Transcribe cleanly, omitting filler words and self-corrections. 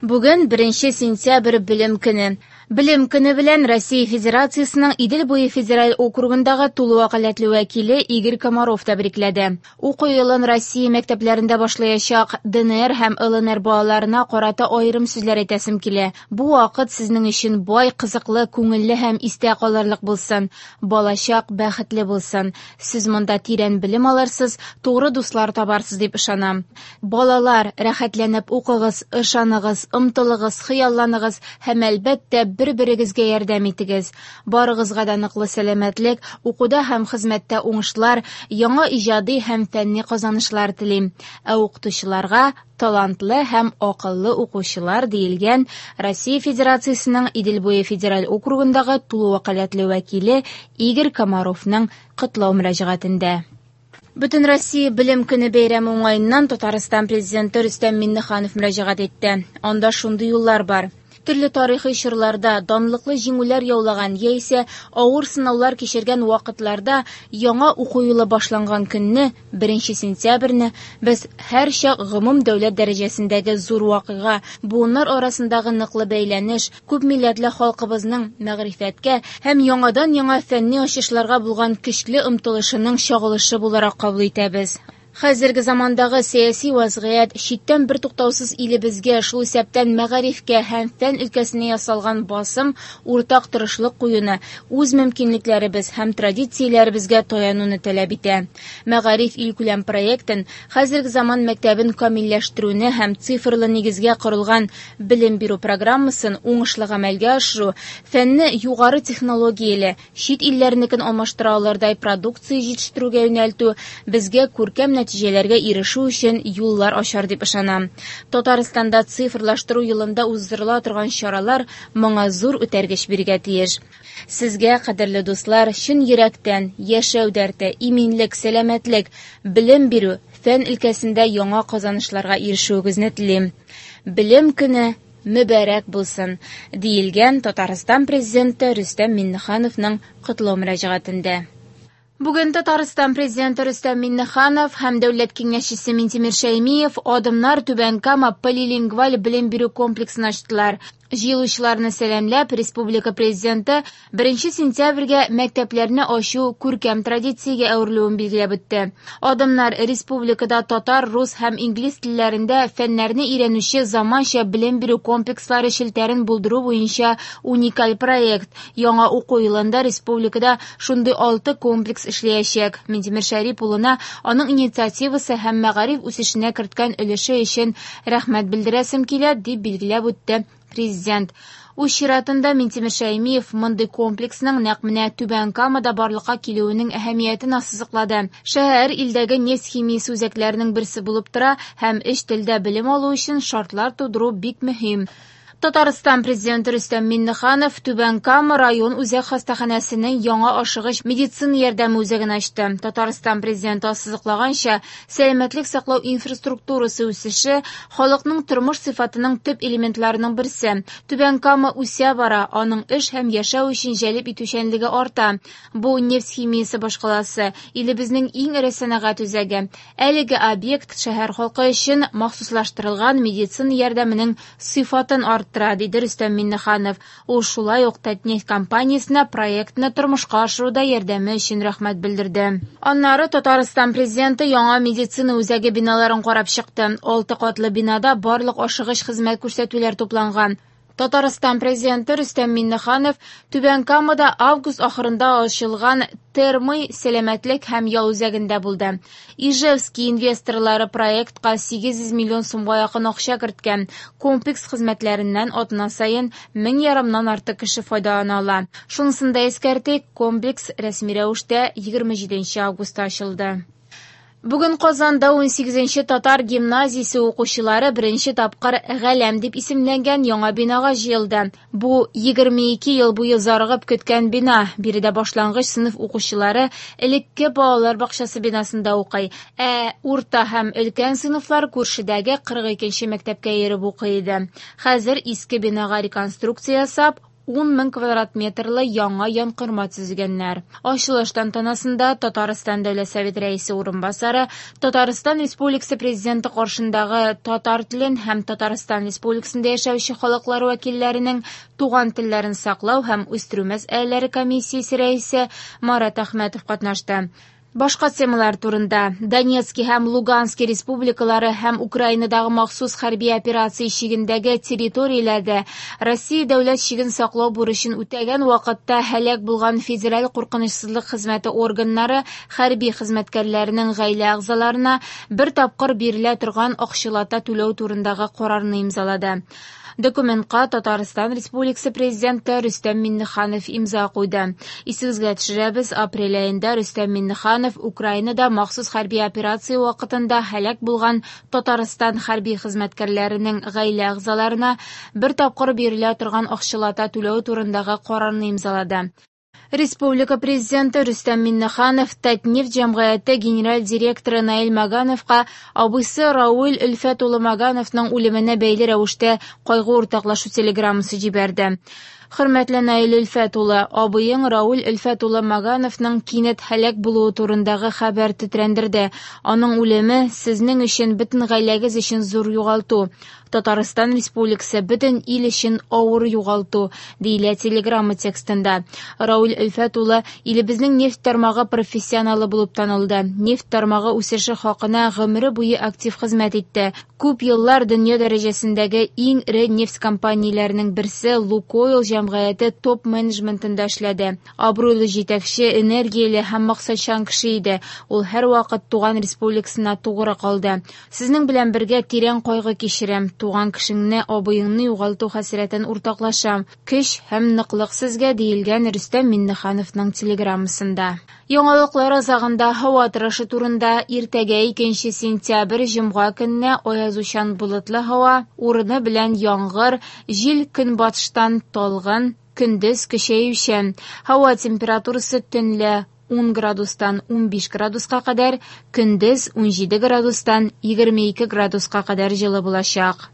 Бүген 1 сентябрь Белем көне. Белем көне белән Россия Федерациясенең Идел буе федераль округындагы тулы вәкаләтле вәкиле Игорь Комаров тәбрикләде. Уку елын Россия мәктәпләрендә башлаячак ДНР һәм ЛНР балаларына карата аерым сүзләр әйтәсем килә. Бу вакыт сезнең өчен бай, кызыклы, күңелле һәм истә калырлык булсын. Балачак бәхетле булсын. Сез монда тирән белем алырсыз, тугры дуслар табарсыз дип ышанам. Балалар, рәхәтләнеп укыгыз, ышаныгыз, омтылыгыз, хыялланыгыз һәм, әлбәттә, бер-берегезгә ярдәм итегез. Барыгызга да ныклы сәламәтлек, укуда һәм хезмәттә уңышлар, яңа иҗади һәм фәнни казанышлар телим. Ә укытучыларга талантлы һәм акыллы укучылар, диелгән Россия Федерациясенең Идел буе федераль округындагы тулы вәкаләтле вәкиле Игорь Комаровның котлау мөрәҗәгатендә. Бөтенроссия Белем көне бәйрәме уңаеннан Татарстан Президенты Рөстәм Миңнеханов мөрәҗәгать итте. Анда шундый юллар бар. Төрле тарихи чорларда данлыклы җиңүләр яулаган яисә авыр сынаулар кичергән вакытларда яңа уку елы башланган көнне, 1 сентябрьне, без һәрчак гомум дәүләт дәрәҗәсендәге зур вакыйга, буыннар арасындагы ныклы бәйләнеш, күпмилләтле халкыбызның мәгърифәткә һәм яңадан-яңа фәнни ачышларга булган көчле омтылышының чагылышы буларак кабул итәбез. Хәзерге замандагы сәяси вазгыять, читтән бертуктаусыз илебезгә, шул исәптән мәгарифкә һәм фән өлкәсенә ясалган басым уртак тырышлык куюны, үз мөмкинлекләребез һәм традицияләребезгә таянуны таләп итә. Мәгариф илкүләм проектын, хәзерге заман мәктәбен камилләштерүне һәм цифрлы нигезгә корылган белем бирү программасын уңышлы гамәлгә ашыру, фәнне югары технологияле, чит илләрнекен алмаштыра алырдай продукция җитештерүгә юнәлтү безгә күркәм нәтиҗәләргә ирешү өчен юллар ачар дип ышанам. Татарстанда цифрлаштыру елында уздырыла торган чаралар моңа зур үтәргеч бирергә тиеш. Сезгә, кадерле дуслар, чын йөрәктән яшәү дәрте, иминлек, сәламәтлек, белем бирү, фән өлкәсендә яңа казанышларга ирешүегезне телим. Белем көне мөбарәк булсын, диелгән Татарстан Президенты Рөстәм Миңнехановның котлау мөрәҗәгатендә. Бүген Татарстан Президенты Рөстәм Миңнеханов һәм Дәүләт Киңәшчесе Минтимер Шәймиев Адымнар Түбән Кама полилингваль белем бирү комплексын ачтылар. Җыелучыларны сәламләп, республика Президенты 1 сентябрьгә мәктәпләрне ачу күркәм традициягә әверелүен билгеләп үтте. Адымнар республикада татар, рус һәм инглиз телләрендә фәннәрне өйрәнүче заманча белем бирү комплекслары челтәрен булдыру буенча уникаль проект. Яңа уку елында республикада шундый 6 комплекс эшләячәк. Минтимер Шәрип улына аның инициативасы һәм мәгариф үсешенә керткән өлеше өчен рәхмәт белдерәсем килә, дип билгеләп үтте Президент. Үз чиратында Минтимер Шәймиев мондый комплексның нәкъ менә Түбән Камада барлыкка килүенең әһәмиятен ассызыклады. Шәһәр илдәге нефть химиясе үзәкләренең берсе булып тора һәм өч телдә белем алу өчен шартлар тудыру бик мөһим. Татарстан Президенты Рөстәм Миңнеханов Түбән Кама район үзәк хастаханәсенең яңа ашыгыч медицина ярдәме үзәген ачты. Татарстан Президенты ассызыклаганча, сәламәтлек саклау инфраструктурасы үсеше халыкның тормыш сыйфатының төп элементларының берсе. Түбән Кама үсә бара, аның эш һәм яшәү өчен җәлеп итүчәнлеге арта. Бу нефть химиясе башкаласы, илебезнең иң эре сәнәгать үзәге. Әлеге объект шәһәр халкы өчен махсуслаштырылган медицина ярдәменең сыйфатын арттыра, диде Рөстәм Миңнеханов. Ул шулай ук Татнефть компаниясенә проектны тормышка ашыруда ярдәме өчен рәхмәт белдерде. Аннары Татарстан Президенты яңа медицина үзәге биналарын карап чыкты. 6 катлы бинада барлык ашыгыч хезмәт күрсәтүләр тупланган. Татарстан Президенты Рөстәм Миңнеханов Түбән Камада август ахырында ачылган Термы сәламәтлек һәм ял үзәгендә булды. Ижевский инвесторлары проектка 800 миллион сумга якын акча керткән. Комплекс хезмәтләреннән атна саен 1500 артык кеше файдалана ала. Шунысын да искәртик, комплекс рәсми рәвештә 27 августта ачылды. Бүген Казанда 18 татар гимназиясе укучылары беренче тапкыр Галәм дип исемләнгән яңа бинага җыелды. Бу 22 ел буе зарыгып көткән бина. Биредә башлангыч сыйныф укучылары элекке балалар бакчасы бинасында укый. Ә урта һәм өлкән сыйныфлар күршедәге 42 мәктәпкә йөреп укый иде. Хәзер иске бинага реконструкция ясап, 10 мең квадрат метрлы яңа янкорма төзегәннәр. Ачылыш тантанасында Татарстан Дәүләт Советы Рәисе урынбасары, Татарстан Республикасы Президенты каршындагы татар телен һәм Татарстан Республикасында яшәүче халыклар вәкилләренең туган телләрен саклау һәм үстерү мәсьәләләре комиссиясе рәисе Марат Әхмәтов катнашты. Башка темалар турында. Донецки һәм Лугански республикалары һәм Украинадагы махсус хәрби операция чигендәге территорияләрдә Россия дәүләт чиген саклау бурычын үтәгән вакытта һәлак булган Федераль куркынычсызлык хезмәте органнары хәрби хезмәткәрләренең гаилә әгъзаларына бер тапкыр бирелә торган акчалата түләү турындагы карарны имзалады. Документка Татарстан Республикасы Президенты Рөстәм Миңнеханов имза куйды. Исегезгә төшерәбез, апрель аенда Рөстәм Миңнеханов Украинада махсус хәрби операция вакытында һәлак булган Татарстан хәрби хезмәткәрләренең гаилә әгъзаларына бер тапкыр бирелә торган акчалата түләү турындагы карарны имзалады. Республика Президенты Рөстәм Миңнеханов Татнефть җәмгыяте генераль директоры Наил Магановка абыйсы Рауль Өлфәт улы Магановның үлеменә бәйле рәвештә кайгы уртаклашу телеграммасы җибәрде. Хөрмәтле Наил Өлфәт улы, абыең Рауль Өлфәт улы Магановның кинәт һәлак булуы турындагы хәбәр тетрәндерде. Аның үлеме сезнең өчен, бөтен гаиләгез өчен зур югалту. Татарстан Республикасы бөтен ил өчен авыр югалту, диелә телеграмма текстында. Рауль Өлфәт улы илебезнең нефть тармагы профессионалы булып танылды. Нефть тармагы үсеше хакына гомере буе актив хезмәт итте. Күп еллар дөнья дәрәҗәсендәге иң эре нефть компанияләренең берсе Лукойл җәмгыяте топ-менеджментында эшләде. Абруйлы җитәкче, энергияле һәм максатчан кеше иде. Ул һәрвакыт туган республикасына тугры калды. Сезнең белән бергә тирән кайгы кичерәм. Туган кешеңне, абыеңны югалту хәсрәтен уртаклашам. Көч һәм ныклык сезгә, диелгән Рөстәм Миңнехановның телеграммасында. Яңалыклар азагында һава торышы турында. Иртәгә 2 сентябрь җомга көнне аязучан болытлы һава, урыны белән яңгыр, җил көнбатыштан талгын, көндез көчәючән. Һава температурасы төнлә 10 градустан 15 градуска кадәр, көндез 17 градустан 22 градуска кадәр җылы булачак.